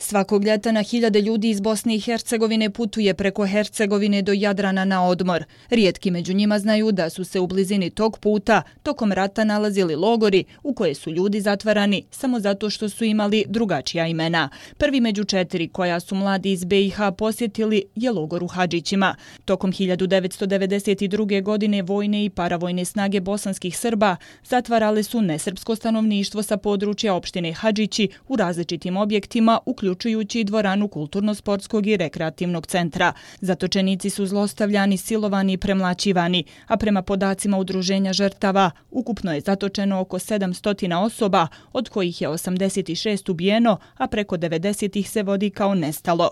Svakog ljeta na hiljade ljudi iz Bosne i Hercegovine putuje preko Hercegovine do Jadrana na odmor. Rijetki među njima znaju da su se u blizini tog puta tokom rata nalazili logori u koje su ljudi zatvarani samo zato što su imali drugačija imena. Prvi među 4 koja su mladi iz BiH posjetili je logor u Hadžićima. Tokom 1992. godine vojne i paravojne snage bosanskih Srba zatvarale su nesrpsko stanovništvo sa područja opštine Hadžići u različitim objektima, uključujući i dvoranu kulturno-sportskog i rekreativnog centra. Zatočenici su zlostavljani, silovani i premlaćivani, a prema podacima udruženja žrtava, ukupno je zatočeno oko 700 osoba, od kojih je 86 ubijeno, a preko 90 ih se vodi kao nestalo.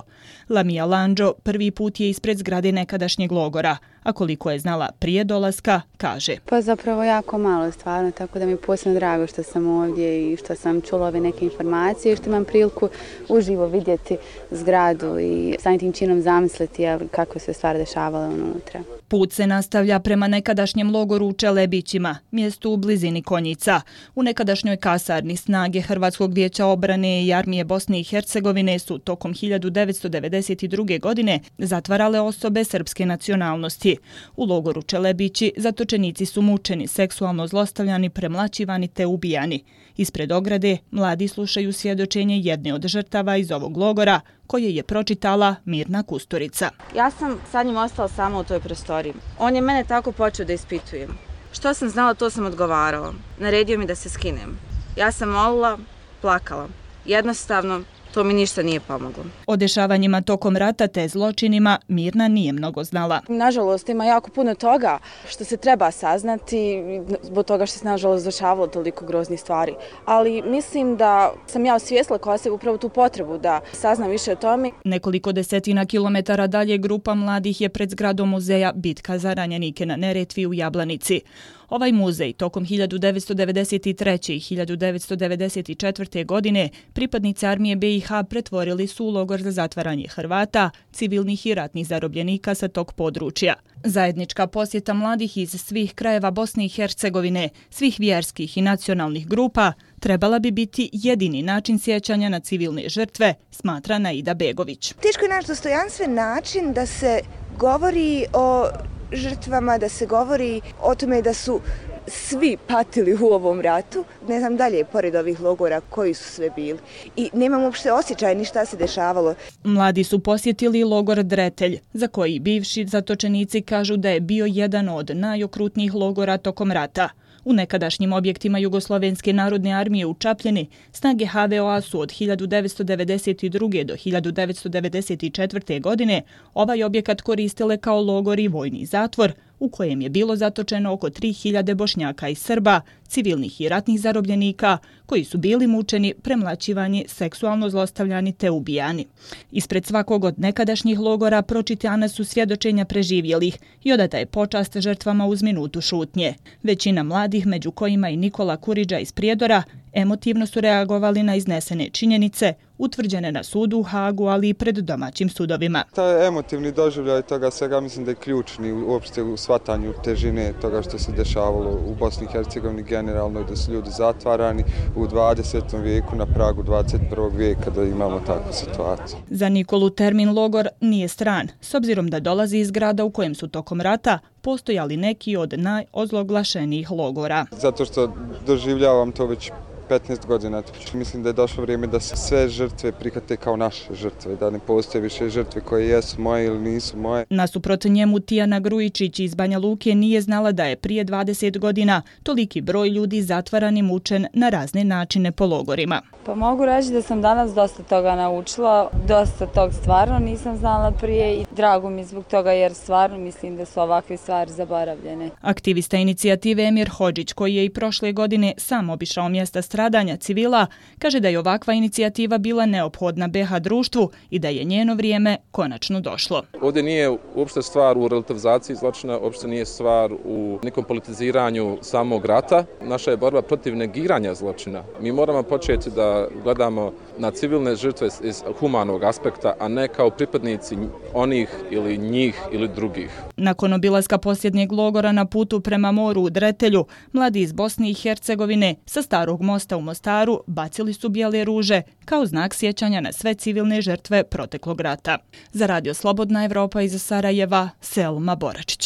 Lamija Landžo prvi put je ispred zgrade nekadašnjeg logora, a koliko je znala prije dolaska, kaže. Pa zapravo jako malo stvarno, tako da mi je posebno drago što sam ovdje i što sam čula ove neke informacije i što imam priliku uživo vidjeti zgradu i samim tim činom zamisliti kako se stvari dešavale unutra. Put se nastavlja prema nekadašnjem logoru u Čelebićima, mjestu u blizini Konjica. U nekadašnjoj kasarni snage Hrvatskog vijeća obrane i armije Bosne i Hercegovine su tokom 1992. godine zatvarale osobe srpske nacionalnosti. U logoru Čelebići zatočenici su mučeni, seksualno zlostavljani, premlaćivani te ubijani. Ispred ograde mladi slušaju svjedočenje jedne od žrtava iz ovog logora, koje je pročitala Mirna Kusturica. Ja sam sa njim ostala sama u toj prostoriji. On je mene tako počeo da ispitujem. Što sam znala, to sam odgovarala. Naredio mi da se skinem. Ja sam molila, plakala. Jednostavno, to mi ništa nije pomoglo. O dešavanjima tokom rata te zločinima Mirna nije mnogo znala. Nažalost, ima jako puno toga što se treba saznati, zbog toga što se nažalost dešavalo toliko groznih stvari. Ali mislim da sam ja osvijestila koja se upravo tu potrebu da saznam više o tome. Nekoliko desetina kilometara dalje grupa mladih je pred zgradom muzeja Bitka za ranjenike na Neretvi u Jablanici. Ovaj muzej tokom 1993. i 1994. godine pripadnici armije BiH pretvorili su u logor za zatvaranje Hrvata, civilnih i ratnih zarobljenika sa tog područja. Zajednička posjeta mladih iz svih krajeva Bosne i Hercegovine, svih vjerskih i nacionalnih grupa, trebala bi biti jedini način sjećanja na civilne žrtve, smatra Naida Begović. Teško je naći dostojanstven način da se govori o žrtvama, da se govori o tome da su svi patili u ovom ratu. Ne znam dalje, pored ovih logora, koji su sve bili. I nemam uopšte osjećaj ni šta se dešavalo. Mladi su posjetili logor Dretelj, za koji bivši zatočenici kažu da je bio jedan od najokrutnijih logora tokom rata. U nekadašnjim objektima Jugoslovenske narodne armije u Čapljini snage HVO-a su od 1992. do 1994. godine ovaj objekat koristile kao logor i vojni zatvor, u kojem je bilo zatočeno oko 3000 Bošnjaka i Srba, civilnih i ratnih zarobljenika, koji su bili mučeni, premlaćivani, seksualno zlostavljani te ubijani. Ispred svakog od nekadašnjih logora pročitana su svjedočenja preživjelih i odata je počast žrtvama uz minutu šutnje. Većina mladih, među kojima i Nikola Kuriđa iz Prijedora, emotivno su reagovali na iznesene činjenice, utvrđene na sudu u Hagu, ali i pred domaćim sudovima. Taj emotivni doživljaj toga svega mislim da je ključni uopšte u shvatanju težine toga što se dešavalo u Bosni i Hercegovini generalno, da su ljudi zatvarani u 20. vijeku na pragu 21. vijeka da imamo takvu situaciju. Za Nikolu termin logor nije stran, s obzirom da dolazi iz grada u kojem su tokom rata postojali neki od najozloglašenijih logora. Zato što doživljavam to već 15 godina. Mislim da je došlo vrijeme da se sve žrtve prihvate kao naše žrtve, da ne postoje više žrtve koje jesu moje ili nisu moje. Nasuprot njemu Tijana Grujičić iz Banja Luke nije znala da je prije 20 godina toliki broj ljudi zatvaran i mučen na razne načine po logorima. Pa mogu reći da sam danas dosta toga naučila, dosta tog stvarno nisam znala prije i drago mi zbog toga jer stvarno mislim da su ovakve stvari zaboravljene. Aktivista inicijative Emir Hodžić, koji je i prošle godine sam obišao mjesta stradanja civila, kaže da je ovakva inicijativa bila neophodna BiH društvu i da je njeno vrijeme konačno došlo. Ovdje nije uopšte stvar u relativizaciji zločina, uopšte nije stvar u nekom politiziranju samog rata. Naša je borba protiv negiranja zločina. Mi moramo početi da gledamo na civilne žrtve iz humanog aspekta, a ne kao pripadnici onih ili njih ili drugih. Nakon obilaska posljednjeg logora na putu prema moru u Dretelju, mladi iz Bosne i Hercegovine sa Starog mosta mjesta u Mostaru bacili su bijele ruže kao znak sjećanja na sve civilne žrtve proteklog rata. Za Radio Slobodna Evropa iz Sarajeva, Selma Boračić.